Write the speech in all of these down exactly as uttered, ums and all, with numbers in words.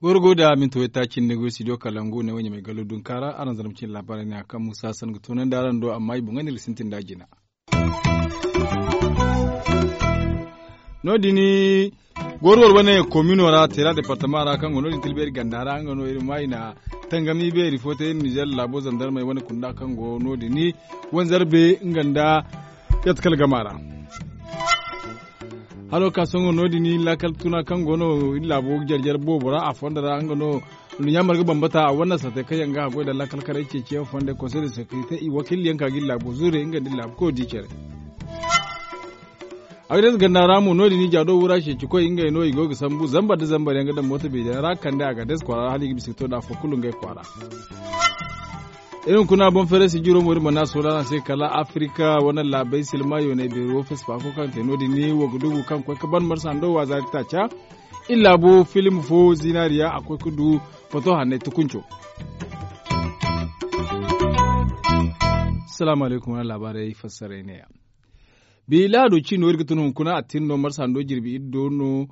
Gorgo da minti wayta cindi go studio kalangu ne wanya mai galo dunka ra araŋ zama cin labarai ne a kaŋ musa san ga tunandi araŋ do amma i boŋ ga ni ga sintin da jina. No- din gorwar wane komino ra tera departama ra kaŋ go no- din tilbeeri ganda ra nga no iri ma i na tangami beeri fo te iri nizer laabo zandarmey wane kunda kaŋ go no- din wanzarbe nga nda yatkal gama ra. Haro ka sohõ no- din laakal tuna kaŋ go no iri laabo jarjar boobo ra a fondo ra nga no nduɲɲa marga bambata a wane sate kaŋ yaŋ ga a goy nda laakal karay ceeciyaŋ fonday konsey de sekirite i wakiili yaŋ ka ga iri laabo zure nga nda iri laabu koy di care. Agades ganda ra mo no- din i jaado wura ceeci koy ngey no i go ga sambu zambar nda zambar yaŋ ga daŋ mooto beeri yaŋ ra kande agades kwaara ra hala i ga bisa ga to nda afo kulu ngey kwaara. Iri hunkuna boŋ feere si jiro mo iri mana sohõ araŋ se kala afirika wane laabey silma yooney beeri wo fesifaako kaŋ te no- din ni wo ga dugu kaŋ koy ga ban marsa ndo waaza ga taaca. Iri laabo filim fo zinaariya a koy ga du foto hanney tukunco. Salaamu alaykum wane laabaarey fassaray neeya. Bi lahado ciino iri ga tun hunkuna a tin no marsa ndo jirbi iri do no.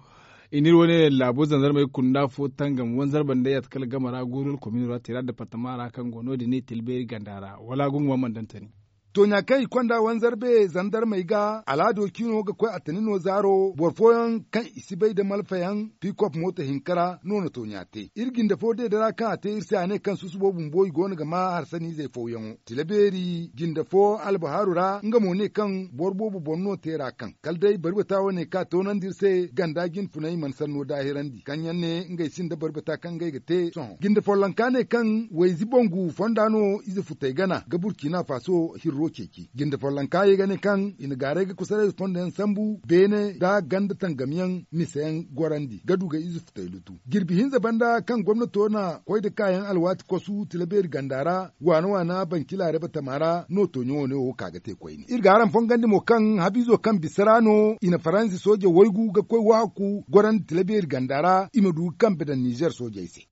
I n'iri wane laabo zanzarmey kunda fo tangam wanzarba nda yatta kala gama ra guurul komino ra tera departama ra kaŋ go no- din i tilbeeri ganda ra wala gunguma mana daŋ tani. Tooɲa kaŋ i konda wanzarbe zandarmey ga alaado ciino ga koy a tani no zaaro boro fooyaŋ kaŋ i si bay nda malfayaŋ pikop mooto hinka ra no na tooɲa te iri jinde fo deeda ra kaŋ a te iri se a ne kaŋ susubo bumbo i go no ga ma harsaniizey fooyaŋo tila beeri jinde fo albahaaru ra nga mo ne kaŋ boro boobo boŋ no te ra kaŋ kala day barbata wane kaŋ a toonandi iri se ganda jinfunay mana sanno daahirandi kaŋ yaŋ ne ngey sinda barbata kaŋ ngey ga te sohõ jinde follonka ne kaŋ wayzi bangu fonda no ize futey gana ga burkina faso hirro ceeci jinde follonka ye ga ne kaŋ i na gaaray ga kusaray fonda yaŋ sambu beene nda ganda tangamyaŋ miseyaŋ gorandi ga du ga ize futey lutu jirbi hinza banda kaŋ gomnato na koy nda kaayaŋ alwaati kosu tila beeri ganda ra waana waana banci laareba tama ra no tooɲo wane wo ka ga te koyne iri ga araŋ fongandi mo kaŋ habiizo kaŋ bisa ra no i na faransi sooje waygu ga koy waaku gorandi tila beeri ganda ra i ma du ga kambe daŋ nizer soojey se.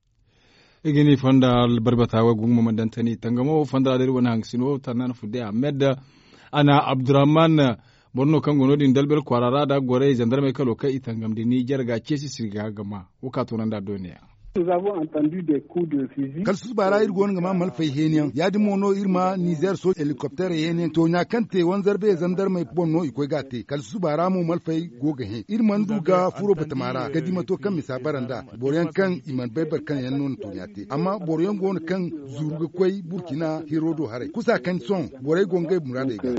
I ga ni fonda barbata wo gumo ma daŋ tani tangamo fonda ra da iri wane haŋgasino tannan fudde ahmed a na abdurrahman boro no kaŋ go no- din dalbel kwaara ra nda goray zandarmey kalo kaŋ i tangam da ni jarga ceesi sirga ga ma wo ka toonandi a dooniya. Kala susuba ra iri go no ga ma malfay heeniyaŋ ya- din mo no iri ma nizer sooje helikopterey heeniyaŋ tooɲa kaŋ te wanzarbe zandarmey boŋ no i koy ga a te kala susuba ra mo malfay go ga hẽ iri mana du ga furo batama ra ga di mato kaŋ misa bara nd'a boro yaŋ kaŋ i mana bay boro kaŋ yaŋ no na tooɲa te amma boro yaŋ go no kaŋ zuru ga koy burkina hiro do haray kusa kaŋ sohõ borey go ngey muraadey ga.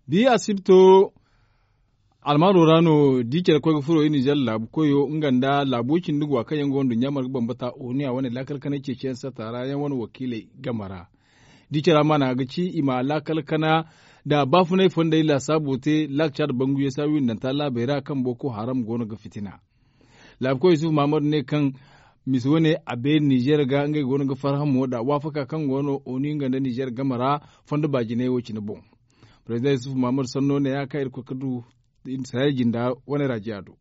Di asibto almaaro ra no di care koy ga furo iri nizer laabu koyo nga nda laabo cindi go a kaŋ yaŋ go nda ɲaamar ga bambata oniya wane laakal kanay ceeciyaŋ satta ra yaŋ wane wakiiley game ra. Di care a maana ga ci i ma laakal kana nda baafunay fondey laasaabo te laakca nda banguyo saa windanta laabey ra kaŋ boko haram go no ga fitina. Laabu koy yusuf mahamadu ne kaŋ misi wane a beeri nizer ga ngey go no ga farhã mo nda waafaka kaŋ go no oni nga nda nizer game ra fondo baajinay wo cine boŋ. President yusuf mahamadu sanno ne ya kaŋ iri koy ga du sahel jinda wane raajiya do.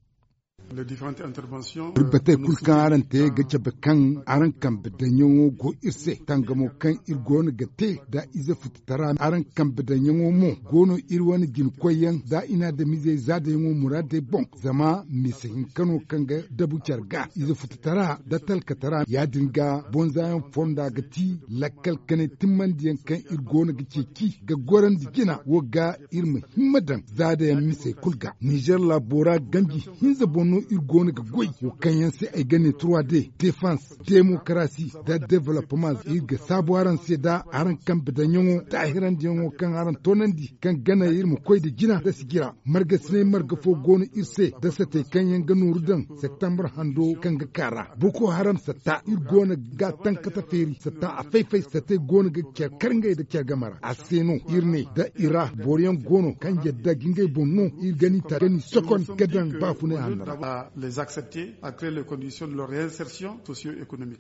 Iri batey kulu kaŋ araŋ te ga cabe kaŋ araŋ kambe daŋyaŋo go iri se tangamo kaŋ iri go no ga te nda ize fututara araŋ kambe daŋyaŋo mo go no iri wane jinkoyyaŋ nda i na adamizey zaadayaŋo muraadey boŋ zama mise hinka no kaŋ ga dabu care ga ize fututara nda talkatara ya- din ga bonzayaŋ fonda ga ti lakkal kanay timmandiyaŋ kaŋ iri go no ga ceeci ga gorandi jina wo ga iri ma himma daŋ zaadayaŋ misey kulu ga nizer laabo ra ganji hinza boŋ no iri go no ga goy wo kaŋ yaŋ se ay ga ne trois d defense demokarasi nda development iri ga saabu araŋ se nda araŋ kambe daŋyaŋo taahirandiyaŋo kaŋ araŋ toonandi kaŋ gana iri ma koy nda jina nda sijira margasinay marga fo go no iri se nda satey kaŋ yaŋ ga nooru daŋ septembre hando kaŋ ga kaa ra boko haram satta iri go no ga tankata feeri satta a fay-fay satey go no ga care kar ngey nda care game ra a se no iri ne nda i ra boro yaŋ go no kaŋ yadda ga ngey boŋ no iri ga ni ta ga ni sokon ga daŋ baafunay hanno ra. Les accepter à créer les conditions de leur réinsertion socio-économique.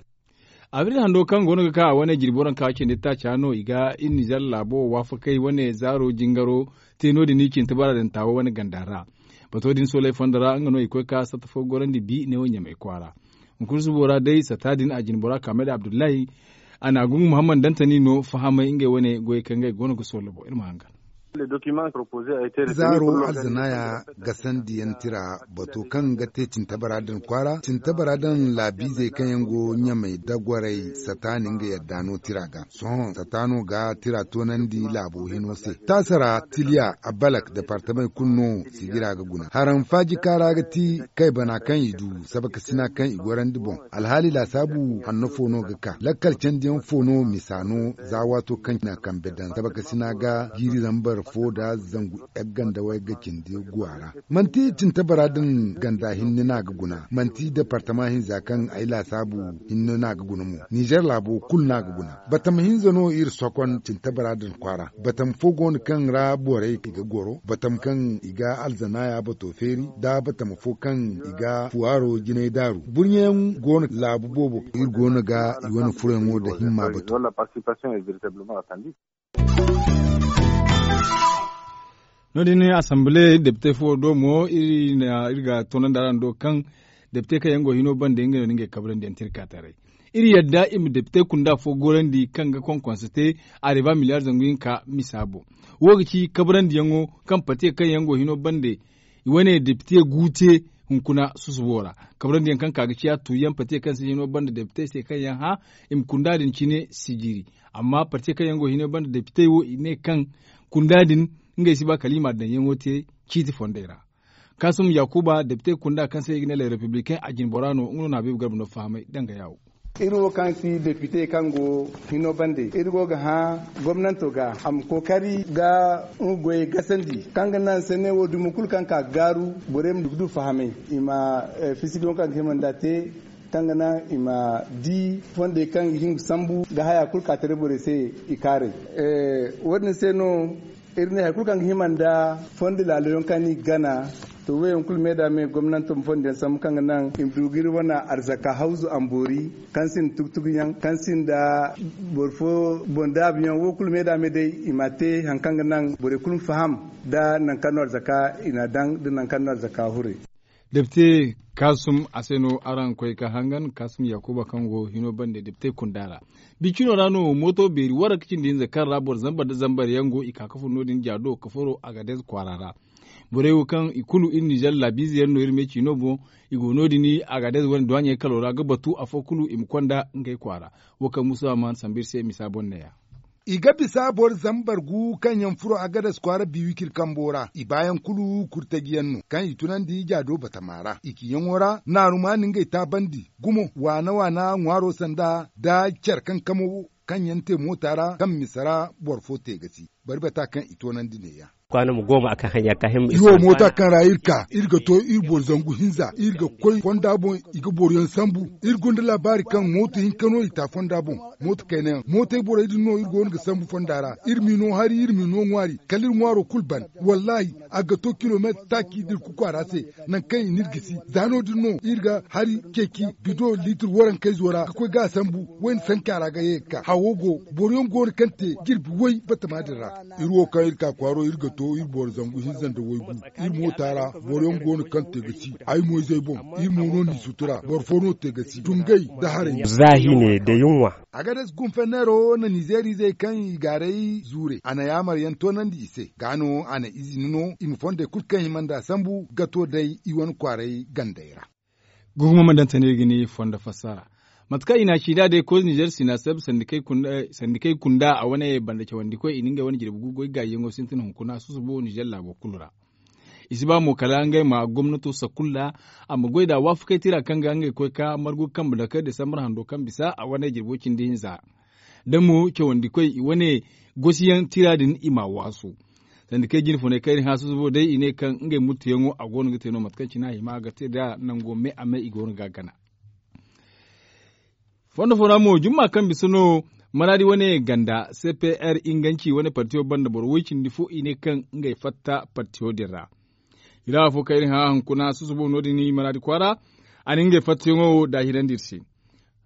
Abril hando kaŋ go no ga ka a wane jirbi waranka cindi taaca no i ga iri nizer laabo waafakay wane zaaro jingaro te no- din i cine tabaradanta wo wane ganda ra. Bato din soolay fondo ra nga no i koy ka satta fo gorandi bi ne wo ɲamay kwaara. Hunkuna subo ra day sata din a jine bora kaamay da abdullahi. A na gungu muhammad dantani no fahamay ngey wane goyey kaŋ ngey go no ga soolabo iri ma hangan. Zaaro alzanaaya gasandi yaŋ tira bato kaŋ ga te cintabara din kwaara cintabara din laabiizey kaŋ yaŋ go ɲamay da gwaray sata ni nga yadda no tira ga. Sohõ sata no ga tira toonandi laabo hino se taasara tiliya abalak departamey kulu no sijira ga guna haram faaji kaara ga ti kaybana kaŋ i du sabakasina kaŋ i gorandi boŋ. Alhaali laasaabu hanno fo no ga ka lakkal candiyaŋ fo no misa no za waato kaŋ na kambe daŋ sabakasina ga jiiri zambar fo nda zangu yaggandawey ga cindi guwa ra. Manti cintabara din ganda hinne no a ga guna manti departama hinza kaŋ ay laasaabu hinne no a ga guna mo. Nizer laabo kulu no a ga guna batama hinza no iri sokon cintabara din kwaara. Batama fo go no kaŋ ra borey i ga goro batama kaŋ i ga alzanaaya bato feeri nda batama fo kaŋ i ga fuwaaro jinay daaru burɲayaŋ go no laabu boobo. Iri go no ga i wane furayaŋo nda himma bato. No- din asambile depite fo do mo iri ga toonandi araŋ do kaŋ depite kaŋ yaŋ go hino bande ngey no ni ngey kabrandi yaŋ te iri ka taray. Iri yadda i ma depite kunda fo gorandi kaŋ ga konkonse te areba miliyar zangu hinka misa boŋ. Wo ga ci kabrandi yaŋo kaŋ pate kaŋ yaŋ go hino bande i wane depite gu te hunkuna susubo ra. Kabrandi yaŋ kaŋ ka ga ciya tuuyaŋ pate kaŋ se hino bande depite se kaŋ yaŋ hã i ma kunda din cine sijiri. Amma parte kaŋ yaŋ go hino banda depitey wo i ne kaŋ kunda din ngey si ba kala i ma daŋ yaŋo te ciiti fondey ra. Kaasum yakuba depitey kunda kaŋ se i ga ne le republicain a jinbora no nga no na beebu garba no fahamay danga yaawo. Iri wo kaŋ ti depite kaŋ go hino bande iri go ga hã gomnanto ga a ma kookari ga nga goyey gasandi kaŋ ga naŋ se ne wo dumo kulu kaŋ ka ga gaaru borey ma du fahamay i ma fisidiyoŋ kaŋ ga hima nd'a te. Kaŋ ga naŋ i ma di fondey kaŋ ga hin ga sambu ga haya kulu ka taray borey se i kaaray. Wo- din se no iri ne hari kulu kaŋ ga hima nda fondo laaloyaŋ kaŋ no i ga gana. To wo- yaŋ kulu me da me gomnanto ma fondo yaŋ sambu kaŋ ga naŋ i ma du ga iri wane arzaka hawzu amboori kaŋ sinda tugu-tugu yaŋ kaŋ sinda boro fo boŋ daabu yaŋ wo- kulu me da me day i ma a te hari kaŋ ga naŋ borey kulu ma faham nda nangu kaŋ no arzaka i n'a daŋ nda nangu kaŋ no arzaka huray. Depite kaasum a se no araŋ koy ga hangan kaasum yaakuba kaŋ go hino bande depite kunda ra. Bicino ra no mooto beeri waranka cindi hinza kaŋ ra boro zambar nda zambar yaŋ go i ka ga furo no- din jaado ga furo agadez kwaara ra. Borey wo kaŋ i kulu iri nizer laabiize yaŋ no iri me ciino boŋ i go no- din agadez wane duwaaɲey kalo ra ga batu afo kulu i ma konda ngey kwaara. Wo kaŋ musa man sambu iri se misa boŋ ne- ya. I ga bisa boro zambar gu kaŋ yaŋ furo agadas kwaara biwikir kambo ra i baayaŋ kulu kurtajiyaŋ no kaŋ i tunandi jaado batama ra i ciyaŋo ra naaru ma na ngey taabandi. Gumo waana waana ŋwaaro sanda nda care kankamo kaŋ yaŋ te moota ra kaŋ misa ra boro fo te ga si. Bari bata kaŋ i toonandi neeya. Iri wo moota kaŋ ra iri ka iri ga to iri boro zangu hinza iri ga koy fonda boŋ. I ga boroyaŋ sambu. Iri gonda laabaari kaŋ mooto hinka no i ta fonda boŋ. Mooto kayna yaŋ mootey borey din no iri go no ga sambu fonda ra. Iri m'i no hari iri m'i no ŋwaari kala iri ŋwaaro kulu ban. Wallaahi a ga to kilomeetar taaci da iri kuku a ra se. Nangu kaŋ i n'iri gisi za no- din no iri ga hari ceeci bido liitir warankayzo ra ga koy ga a sambu. Wayna sanka ra ga ye ga ka hawo go. Boroyaŋ go no kaŋ te jirbi way batama din ra. Iri wo kaŋ iri ka kwaaro iri ga to iri boro zangu hinza nda waygu. Iri moota ra boroyaŋ go no kaŋ te ga si ay moyzey boŋ. Iri mo no n'i sutura boro fo no te ga si dungay nda haray. Zaahi ne da yunwa. Agades gunfenneero na nizeerizey kaŋ i gaaray zuure a na yaamaryaŋ toonandi i se gaa no a na izini no i ma fondey kulu kaŋ hima nd'a sambu ga to day i wane kwaaray gandey ra. Gugumo ma daŋ tane ga ni fondo fassara. Mate kaŋ i n'a ci nd'a day koy nizer sinaseb sandikey kunda a wane banda cawandikoy i na ngey wane jirbi gu goy gaayyaŋo sintin hunkuna susubo nizer laabo kulu ra. I si ba mo kala ngey ma gomnato sakulla a ma goy nd'a waafakey tira kaŋ ga ngey koy ka margu kambe dake desambar hando kaŋ bisa a wane jirbo cindi hinza. Da mo cawandikoy i wane gosiyaŋ tira din i m'a waasu. Sanda kay jine funay kayri hã susubo day i ne kaŋ ngey murtuyaŋo a go no ga te no mate kaŋ cine a hima ga te nd'a nango me a me i go no ga a gana. Fondo fo ra mo jumma kaŋ bisa no maraadi wane ganda c p r inganci wane partiyo banda boro woy cindi fo i ne kaŋ ngey fatta partiyo din ra. I ra afo kayri hã hunkuna susubo no- din i maraadi kwaara. A na ngey fattayaŋo wo daahirandi iri se.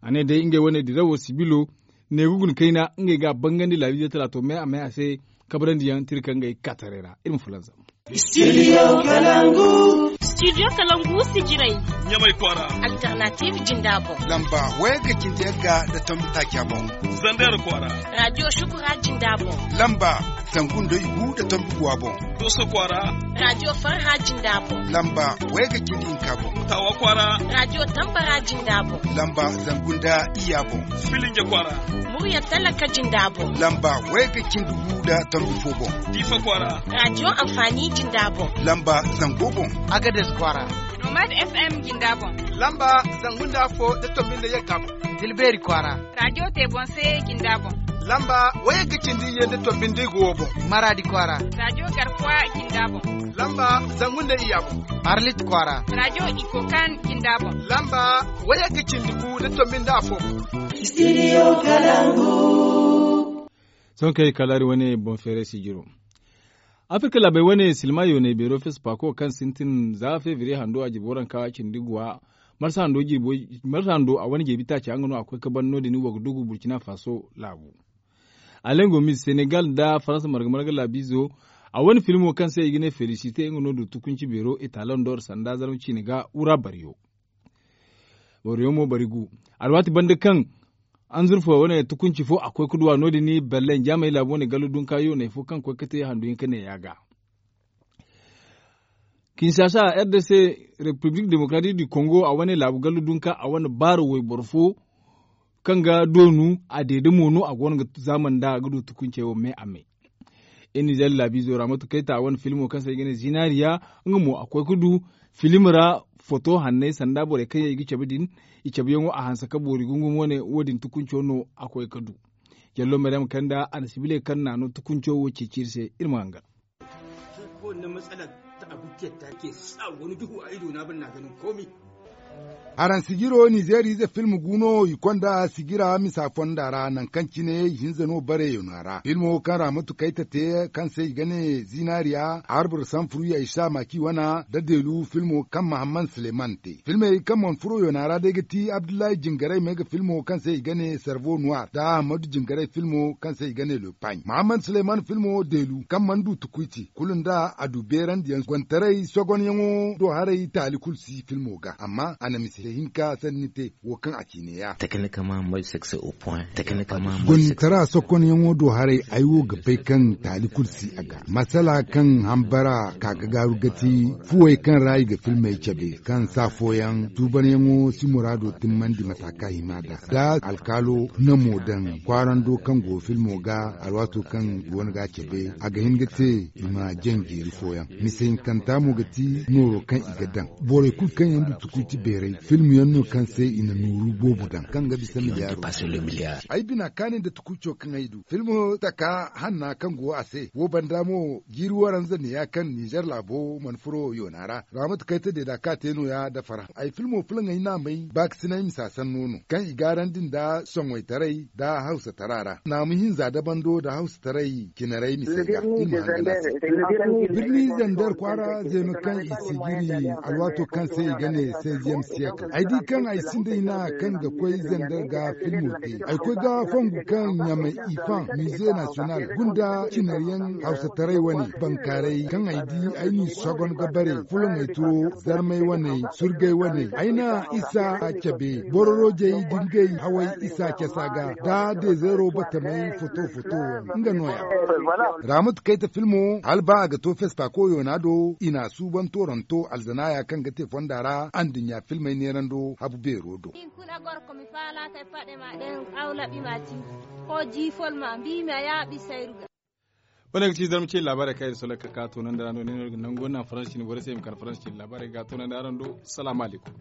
A ne day ngey wane dirawo sibilo ne ga guna kayna ngey ga a bangandi laabiize talaato me a me a se. Kabrandi yaŋ tira kaŋ ngey ga ka taray ra iri ma fulanzam. Studio Kalangu. Studio Kalangu sijiray. Ɲamay kwaara. Alternative jinda boŋ. Lamba wayga cindi yagga da tombi taaca boŋ. Zander kwaara. Radio Shukura jinda boŋ. Lamba zangu nda igu da tombi guwa boŋ. Doso kwaara. Radio Farha jinda boŋ. Lamba wayga cindi hinka boŋ. Tawa kwaara. Radio Tambara jinda boŋ. Lamba zangu nda iya boŋ. Filinja kwaara. Murya talaka jinda boŋ. Lamba wayga cindi gu da tombi fo boŋ. Difa kwaara. Radio Amfani jinda boŋ. Lamba zango boŋ. Agades kwaara. Nomad F M jinda boŋ. Lamba zangu nda afo da tombi nda yagga boŋ. Tilberi kwaara. Radio Tebonse jinda boŋ. Lamba wayga cindi iyye nda tombi nda igu wo boŋ. Maradi kwaara. Radio Garkuwa jinda boŋ. Lamba zangu nda iyya boŋ. Arlit kwaara. Radio Ikokan jinda boŋ. Lamba wayga cindi gu da tombi nda afo boŋ. Studio Kalangu. Sohõ kaŋ ay kalaari wane boŋ feeray sijiro. Afirka laabey wane silma yoonay beero fespaako kaŋ sintin za febriye hando a jirbi waranka cindi guwa. Marsa hando a wane jeebi taaca nga no a koy ka ban no- din wo ga dugu burkina faso laabu. Alengo mis senegal nda faransa marga marga laabiizo. A wane filmo kaŋ se i ga ne felisite nga no du tukunci beero italoŋ dor sanda zarma ciine ga wura baryo. Boro yaŋ mo bari gu. Alwaati banda kaŋ anzurfa wane tukunci fo a koy ga duwa no- din berlin jaamay laabu wane gallu dunka yoonay fo kaŋ koy ga te handu hinka neeya ga. Kinshasa, r d c, république démocratique du congo a wane laabu gallu dunka a wane baaro wayboro fo kaŋ ga doonu a deede mo no a go no ga zaamanda ga du tukuncey wo me a me. Iri nizeer laabiizo ra mate kaŋ ay ta a wane filmo kaŋ se i ga ne zinariya. Nga mo a koy ga du film ra foto hanney sanda borey kaŋ yaŋ i ga cabe din. I cabeyaŋo a hanse ka boori gungum wane wo- din tukunco no a koy ga du. Jallo maryam kanda a na sibiley kaŋ naano tukunco wo ceeci iri se iri ma hangan. Araŋ sijiro nizeer ize film gu no i konda sigira misa fonda ra nangu kaŋ cine ihinza no bare yoona ra filmo kaŋ ra matu kayta te kaŋ se i ga ne zinariya, arbur sanfuru ya isa maki wana da deelu filmo kaŋ mahamman suleman te filmey kaŋ mana furo yoona ra day ga ti abdullahi jingaray me ga filmo kaŋ se i ga ne servo noir da ahmadu jingaray filmo kaŋ se i ga ne le pagne mahamman suleman filmo deelu kaŋ mana du tukuy te kulu nda a du beerandiyaŋ gontaray sogonyaŋo do haray taali kulu si filmo ga amma a na mise hinka sanni te wo kaŋ a ci neeya. Gonnitara sokonyaŋo do haray ay wo ga bay kaŋ taali kulu si a ga masala kaŋ hambara ka ga gaaru ga ti fuwey kaŋ ra i ga filmey cabe kaŋ saa fooyaŋ tuubanyaŋo si muraado timmandi mata kaŋ a hima nd'a da alkaalo namo daŋ kwaarando kaŋ go filmo ga alwaato kaŋ i goono ga a cabe a ga hin ga te i ma jaŋ jeeri fooyaŋ mise hinkanta mo ga ti nooro kaŋ i ga daŋ borey kulu kaŋ yaŋ du tukuy ti beeray film yaŋ no kaŋ se i na nooru boobo daŋ kaŋ ga bisa miliyaaro. Ay bina kaani nda tukuy co kaŋ ay du film taka hanna kaŋ go a se wo banda mo jiiri waranza neeya kaŋ nizer laabo mana furo yoona ra raamatu kayta deeda ka te nooya nda farhã ay filmo fulaŋey no a may baakasinay misa sanno no kaŋ i gaarandi nda soŋoytaray nda hawsatara ra naamu hinza dabando nda hawsataray cinaray mise ga iri ma hangan a se. Birni zander kwaara zeeno kaŋ i si jiri alwaato kaŋ se i ga ne seizième siècle ay di kaŋ ay sinda hina kaŋ ga koy zander ga filmo te ay koy ga fongu kaŋ ɲamay ifan musée national gunda cinaryaŋ hawsataray wane bankaaray kaŋ ay di ay n'i sogon ga bare fulaŋey turo zarmey wane surgey wane ay na isa cabe bororojey dingey haway isa casa ga da dezeero batamey foto foto wane nga nooya. Raamatu kayta filmo hala ba a ga to fespaako yoona do i n'a suuban tooranto alzanaaya kaŋ ga te fonda ra anduɲɲa filmey neerando habu beero do. Kulu a goro ko mi faala kay paɗe ma ɗen aw laɓi ma ci ko jiifol ma mbi ma yaaɓi sayru ga. Wane ga ci zarma ce laabaarey kaŋ iri soloy ka ka toonandi ra no ne no ga nangu naŋ faransi cine borey se i ma kar faransi cine laabaarey ga toonandi araŋ do. Salaamu aleykum.